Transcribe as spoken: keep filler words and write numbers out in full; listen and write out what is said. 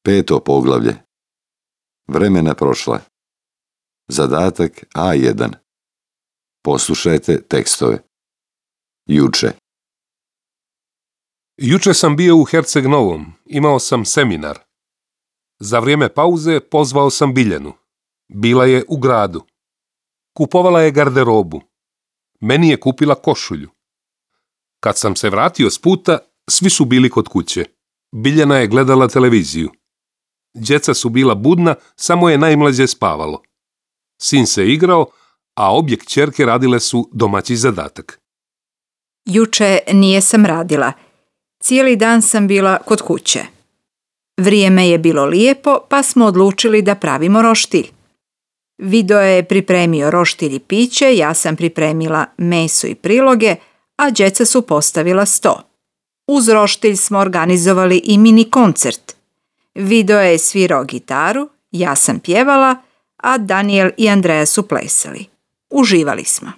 Peto poglavlje. Vremena prošla. Zadatak A jedan. Poslušajte tekstove. Juče. Juče sam bio u Herceg Novom, imao sam seminar. Za vrijeme pauze pozvao sam Biljanu. Bila je u gradu. Kupovala je garderobu. Meni je kupila košulju. Kad sam se vratio s puta, svi su bili kod kuće. Biljana je gledala televiziju. Djeca su bila budna, samo je najmlađe spavalo. Sin se igrao, a obje kćerke radile su domaći zadatak. Juče nije sam radila. Cijeli dan sam bila kod kuće. Vrijeme je bilo lijepo, pa smo odlučili da pravimo roštilj. Vido je pripremio roštilj i piće, ja sam pripremila meso i priloge, a djeca su postavila sto. Uz roštilj smo organizovali i mini koncert. Vido je svirao gitaru, ja sam pjevala, a Daniel i Andreja su plesali. Uživali smo.